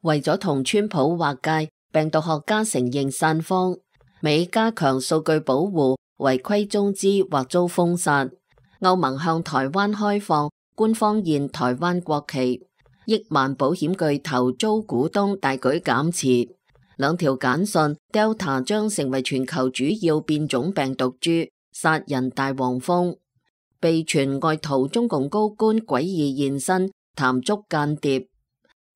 為咗同川普劃界，病毒學家承認散謊，美加強數據保護，違規中資或遭封殺。歐盟向台灣開放，官方現台灣國旗。億萬保險巨頭遭股東大舉減持。兩條簡訊 ，Delta 將成為全球主要變種病毒株，殺人大黃蜂。被傳外逃中共高官詭異現身，談捉間諜。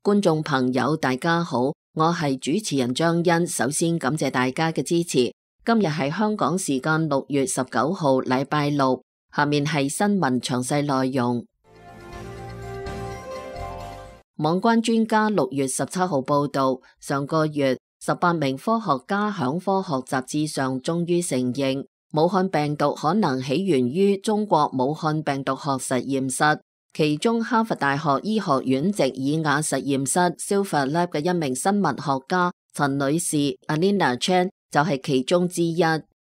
觀眾朋友大家好，我係主持人張欣，首先感謝大家嘅支持。今日係香港時間6月19號禮拜六，下面係新聞詳細內容。網關專家6月17號報道，上個月18名科學家響科學雜誌上終於承認，武漢病毒可能起源於中國武漢病毒學實驗室，其中哈佛大學醫學院席爾瓦實驗室 Silver Lab 嘅一名生物學家陳女士 Alina Chan 就係其中之一。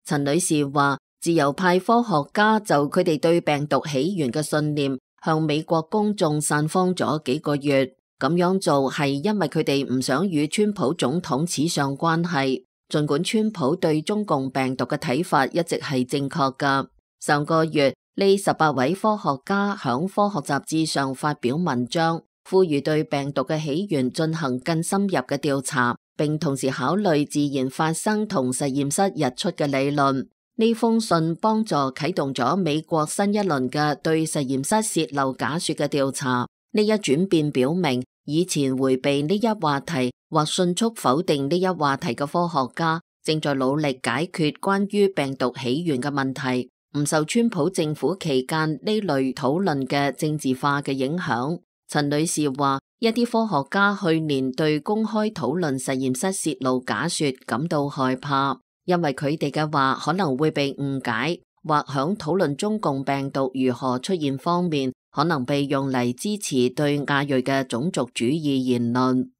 陳女士話，自由派科學家就佢哋對病毒起源嘅信念向美國公眾散謊咗幾個月，咁樣做係因為佢哋唔想與川普總統扯上關係。儘管川普對中共病毒嘅睇法一直係正確㗎，上個月呢18位科學家響科學雜誌上發表文章，呼籲對病毒嘅起源進行更深入嘅調查，並同時考慮自然發生同實驗室日出嘅理論。呢封信幫助啟動咗美國新一輪嘅對實驗室洩漏假說嘅調查。呢一轉變表明，以前迴避呢一話題或迅速否定呢一話題嘅科學家，正在努力解決關於病毒起源嘅問題，唔受川普政府期間呢類討論嘅政治化嘅影響。陳女士話，一啲科學家去年對公開討論實驗室洩露假說感到害怕，因為佢哋嘅話可能會被誤解，或響討論中共病毒如何出現方面，可能被用嚟支持對亞裔嘅種族主義言論。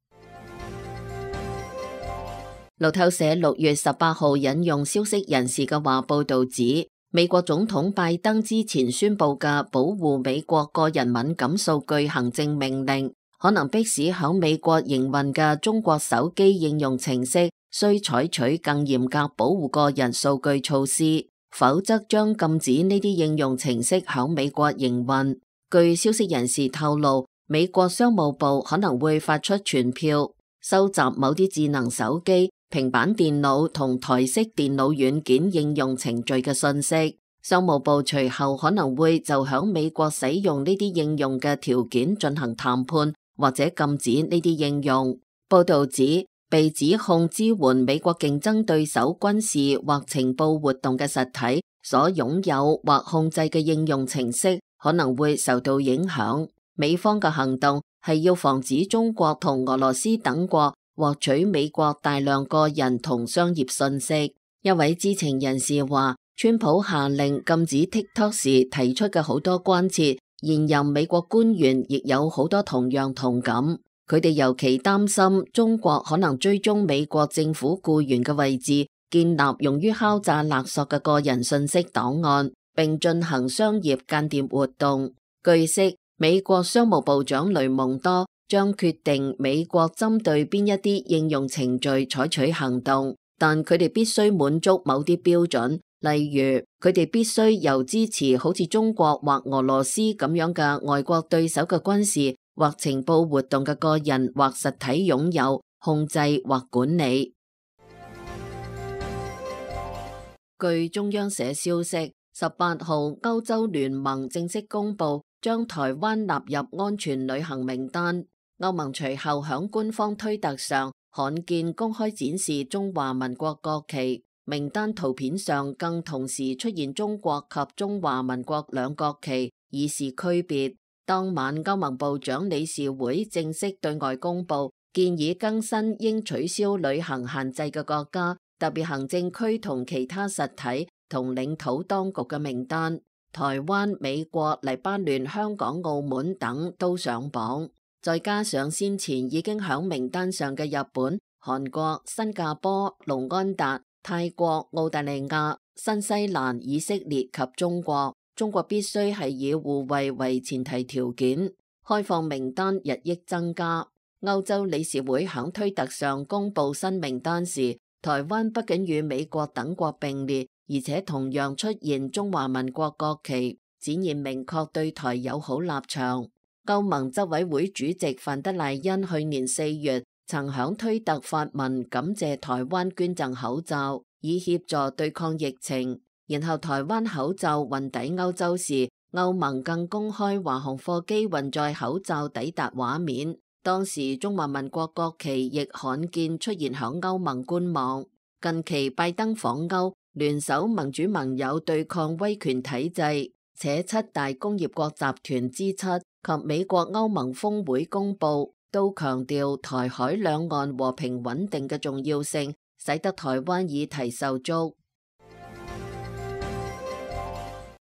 路透社6月18號引用消息人士嘅話報道指，美國總統拜登之前宣布嘅保護美國個人敏感數據行政命令，可能迫使響美國營運嘅中國手機應用程式需採取更嚴格保護個人數據措施，否則將禁止呢啲應用程式響美國營運。據消息人士透露，美國商務部可能會發出傳票，收集某啲智能手機、平板電腦同台式電腦軟件應用程序嘅信息。商務部隨後可能會就響美國使用呢啲應用嘅條件進行談判，或者禁止呢啲應用。報道指，被指控支援美國競爭對手軍事或情報活動嘅實體所擁有或控制嘅應用程式可能會受到影響。美方嘅行動係要防止中國同俄羅斯等國獲取美國大量個人同商業信息。一位知情人士話，川普下令禁止 TikTok 時提出嘅好多關切，現任美國官員亦有好多同樣同感。佢哋尤其擔心中國可能追蹤美國政府僱員嘅位置，建立用於敲詐勒索嘅個人信息檔案，並進行商業間諜活動。據悉，美國商務部長雷蒙多將決定美國針對邊一啲應用程序採取行動，但佢哋必須滿足某啲標準，例如佢哋必須由支持好似中國或俄羅斯咁樣嘅外國對手嘅軍事或情報活動嘅個人或實體擁有、控制或管理。據中央社消息，18號歐洲聯盟正式公布將台灣納入安全旅行名單。歐盟隨後響官方推特上罕見公開展示中華民國國旗，名單圖片上更同時出現中國及中華民國兩國旗，以示區別。當晚，歐盟部長理事會正式對外公布建議更新應取消旅行限制嘅國家、特別行政區同其他實體同領土當局嘅名單。台灣、美國、黎巴嫩、香港、澳門等都上榜，再加上先前已經響名單上嘅日本、韓國、新加坡、盧安達、泰國、澳大利亞、新西蘭、以色列及中國。中國必須係以互惠為前提條件，開放名單日益增加。歐洲理事會響推特上公布新名單時，台灣不僅與美國等國並列，而且同樣出現中華民國國旗，展現明確對台友好立場。歐盟執委會主席范德賴恩去年4月曾響推特發文感謝台灣捐贈口罩，以協助對抗疫情。然後台灣口罩運抵歐洲時，歐盟更公開華航貨機運載口罩抵達畫面。當時中華民國國旗亦罕見出現響歐盟官網。近期拜登訪歐，聯手民主盟友對抗威權體制，且七大工業國集團之七及美國歐盟峰會公佈，都強調台海兩岸和平穩定嘅重要性，使得台灣議題受觸。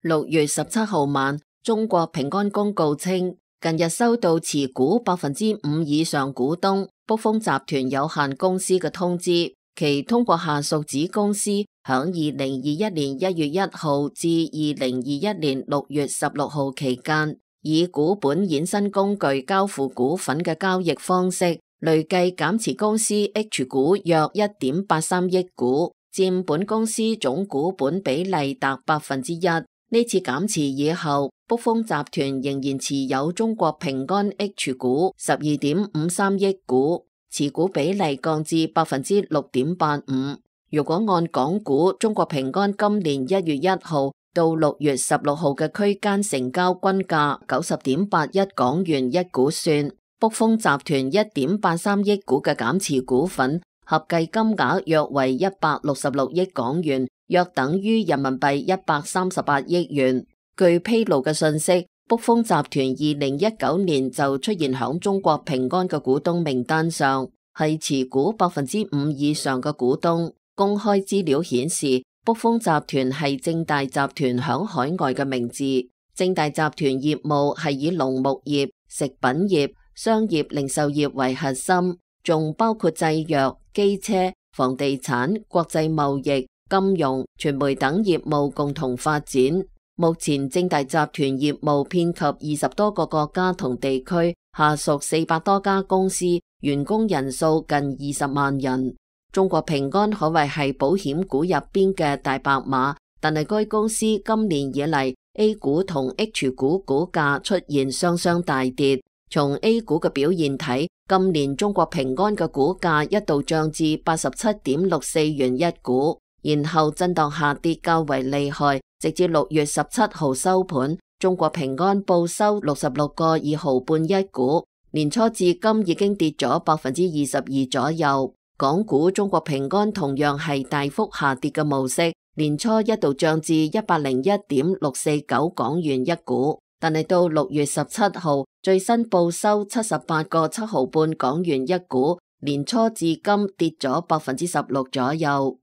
6月17號晚，中國平安公告稱，近日收到持股5%以上股東卜蜂集團有限公司嘅通知，其通過下屬子公司響2021年1月1號至2021年6月16號期間，以股本衍生工具交付股份嘅交易方式，累計減持公司 H 股約1.83億股，佔本公司總股本比例達1%。呢次減持以後，卜蜂集團仍然持有中國平安 H 股12.53億股，持股比例降至6.85%。如果按港股中國平安今年1月1號到6月16號嘅區間成交均價90.81港元一股算，卜蜂集團1.83億股嘅減持股份合計金額約為166億港元，約等於人民幣138億元。據披露嘅信息，卜蜂集團2019年就出現響中國平安嘅股東名單上，係持股5%以上嘅股東。公開資料顯示，卜蜂集團係正大集團響海外嘅名字。正大集團業務係以農牧業、食品業、商業零售業為核心，仲包括製藥、機車、房地產、國際貿易、金融、傳媒等業務共同發展。目前正大集團業務遍及20多個國家同地區，下屬400多家公司，員工人數近20萬人。中國平安可謂係保險股入邊嘅大白馬，但係該公司今年以嚟 A 股同 H 股股價出現雙雙大跌。從 A 股嘅表現睇，今年中國平安嘅股價一度漲至87.64元一股，然後震盪下跌較為厲害，直至6月17號收盤，中國平安報收66個2毫半一股，年初至今已經跌咗22%左右。港股中國平安同樣係大幅下跌嘅模式，年初一度漲至101.649港元一股，但係到6月17號最新報收78個7毫半港元一股，年初至今跌咗16%左右。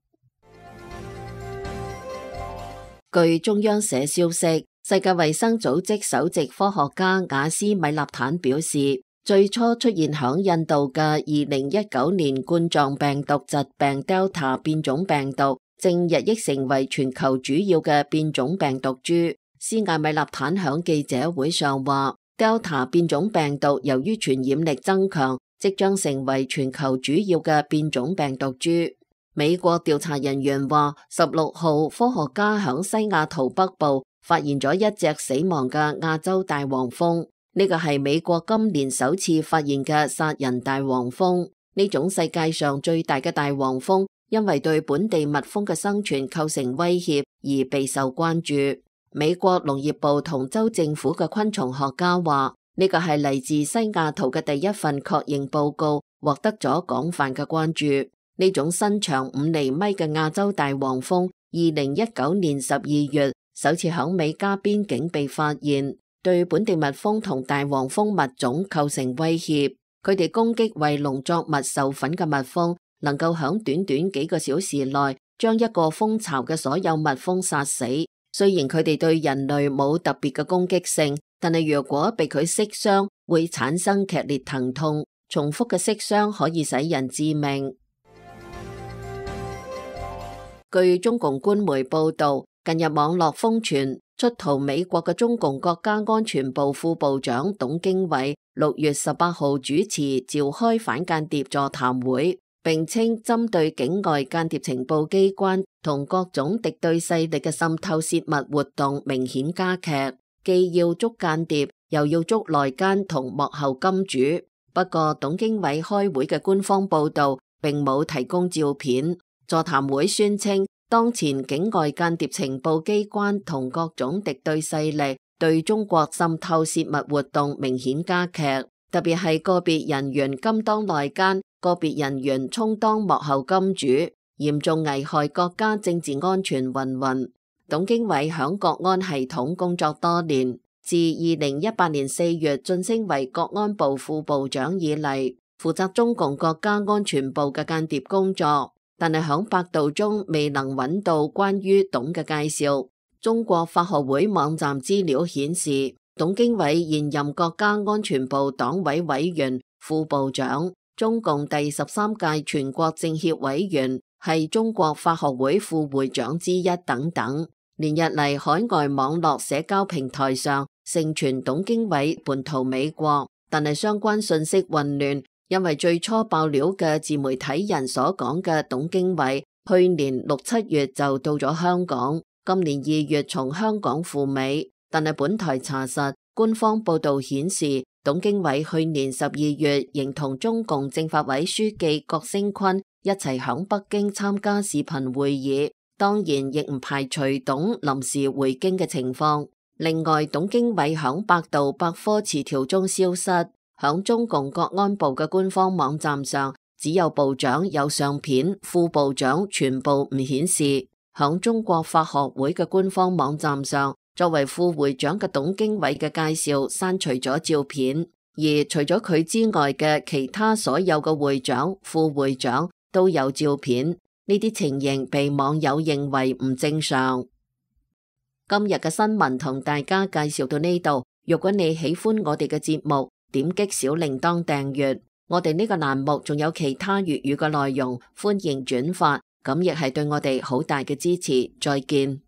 據中央社消息，世界衛生組織首席科學家雅斯米納坦表示，最初出現響印度嘅2019年冠狀病毒疾病 Delta 變種病毒，正日益成為全球主要嘅變種病毒株。斯艾米納坦響記者會上話， Delta 變種病毒由於傳染力增強，即將成為全球主要嘅變種病毒株。美國調查人員話，16號科學家響西雅圖北部發現咗一隻死亡嘅亞洲大黃蜂。呢個係美國今年首次發現嘅殺人大黃蜂。呢種世界上最大嘅大黃蜂，因為對本地蜜蜂嘅生存構成威脅而備受關注。美國農業部同州政府嘅昆蟲學家話，呢個係嚟自西雅圖嘅第一份確認報告，獲得咗廣泛嘅關注。呢種身長5厘米嘅亞洲大黃蜂，2019年12月首次響美加邊境被發現，對本地蜜蜂同大黃蜂物種構成威脅。佢哋攻擊為農作物授粉嘅蜜蜂，能夠響短短幾個小時內將一個蜂巢嘅所有蜜蜂殺死。雖然佢哋對人類冇特別嘅攻擊性，但係如果被佢擊傷，會產生劇烈疼痛，重複嘅擊傷可以使人致命。據中共官媒報道，近日網絡瘋傳出逃美國嘅中共國家安全部副部長董經緯6月18號主持召開反間諜座談會，並稱針對境外間諜情報機關同各種敵對勢力嘅滲透泄密活動明顯加劇，既要捉間諜，又要捉內奸同幕後金主。不過董經緯開會嘅官方報道並冇提供照片。座談會宣稱，當前境外間諜情報機關同各種敵對勢力對中國滲透泄密活動明顯加劇，特別係個別人員甘當內奸，個別人員充當幕後金主，嚴重危害國家政治安全云云。董經緯響國安系統工作多年，自2018年4月晉升為國安部副部長以嚟，負責中共國家安全部嘅間諜工作。但係響百度中未能揾到關於董嘅介紹。中國法學會網站資料顯示，董經緯現任國家安全部黨委委員、副部長，中共第13屆全國政協委員，係中國法學會副會長之一等等。連日嚟海外網絡社交平台上盛傳董經緯叛逃美國，但係相關信息混亂。因為最初爆料嘅自媒體人所講嘅董經緯，去年6、7月就到咗香港，今年2月從香港赴美。但係本台查實，官方報道顯示，董經緯去年12月仍同中共政法委書記郭聲琨一齊響北京參加視頻會議，當然亦唔排除董臨時回京嘅情況。另外，董經緯響百度百科詞條中消失。響中共國安部嘅官方網站上，只有部長有相片，副部長全部唔顯示。響中國法學會嘅官方網站上，作為副會長嘅董經緯嘅介紹刪除咗照片，而除咗佢之外嘅其他所有嘅會長、副會長都有照片。呢啲情形被網友認為唔正常。今日嘅新聞同大家介紹到呢度，如果你喜歡我哋嘅節目，點擊小鈴鐺訂閱，我哋呢個欄目仲有其他粵語嘅內容，歡迎轉發，咁亦係對我哋好大嘅支持。再見。